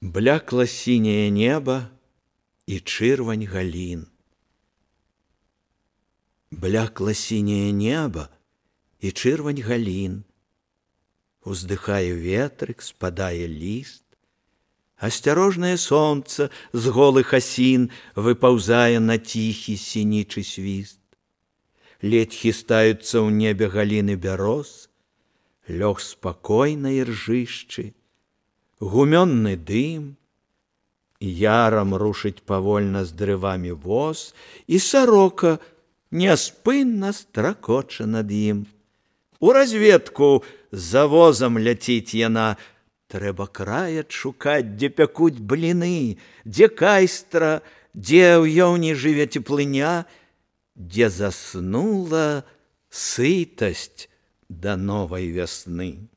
Блякла сіняе неба і чырвань галін. Блякла сіняе неба і чырвань галін. Уздыхае ветрык, спадае ліст. Асцярожнае сонца з голых асін выпаўзае на ціхі сінічы свіст. Ледь хістаюцца ў небе галіны бяроз, лёг спакойнай ржышчы, гумённы дым, ярам рушыць павольна з дрывамі воз, і сарока няспынна стракоча над ім. У разведку за возам ляціць яна, трэба край адшукаць, дзе пякуць бліны, дзе кайстра, дзе ў ёўні жыве цеплыня, дзе заснула сытасць да новай вясны.